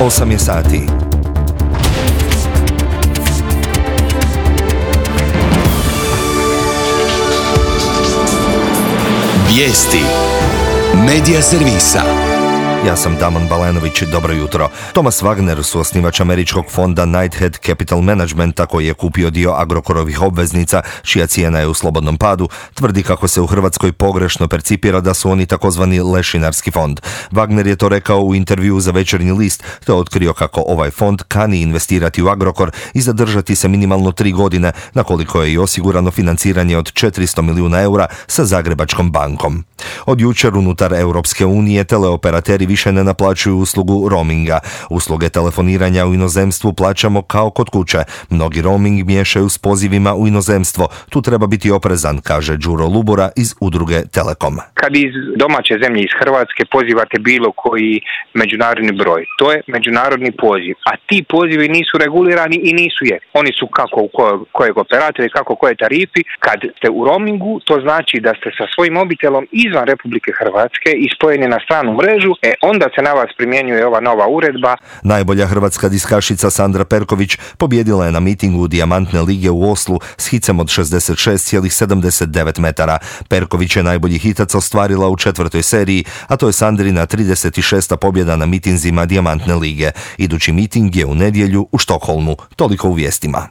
8 je sati. Vijesti Medija servisa. Ja sam Damon Balenović, dobro jutro. Thomas Wagner, suosnivač američkog fonda Knighthead Capital Managementa, koji je kupio dio Agrokorovih obveznica, čija cijena je u slobodnom padu, tvrdi kako se u Hrvatskoj pogrešno percipira da su oni takozvani lešinarski fond. Wagner je to rekao u intervjuu za Večernji list, te otkrio kako ovaj fond kani investirati u Agrokor i zadržati se minimalno 3 godine, na koliko je i osigurano financiranje od 400 milijuna eura sa Zagrebačkom bankom. Od jučer unutar Europske unije teleoperateri više ne naplaćuju uslugu roaminga. Usluge telefoniranja u inozemstvu plaćamo kao kod kuće. Mnogi roaming miješaju s pozivima u inozemstvo. Tu treba biti oprezan, kaže Đuro Lubora iz udruge Telekom. Kad iz domaće zemlje, iz Hrvatske, pozivate bilo koji međunarodni broj, to je međunarodni poziv, a ti pozivi nisu regulirani i nisu Oni su kako u kojeg operatora i kako koje tarifi. Kad ste u roamingu, to znači da ste sa svojim mobitelom izvan Republike Hrvatske i spojeni na stranu mrežu, onda se na vas primjenjuje ova nova uredba. Najbolja hrvatska diskašica Sandra Perković pobjedila je na mitingu Dijamantne lige u Oslu s hicem od 66,79 metara. Perković je najbolji hitac ostvarila u 4. seriji, a to je Sandrina 36. pobjeda na mitinzima Dijamantne lige. Idući miting je u nedjelju u Štokholmu. Toliko u vijestima.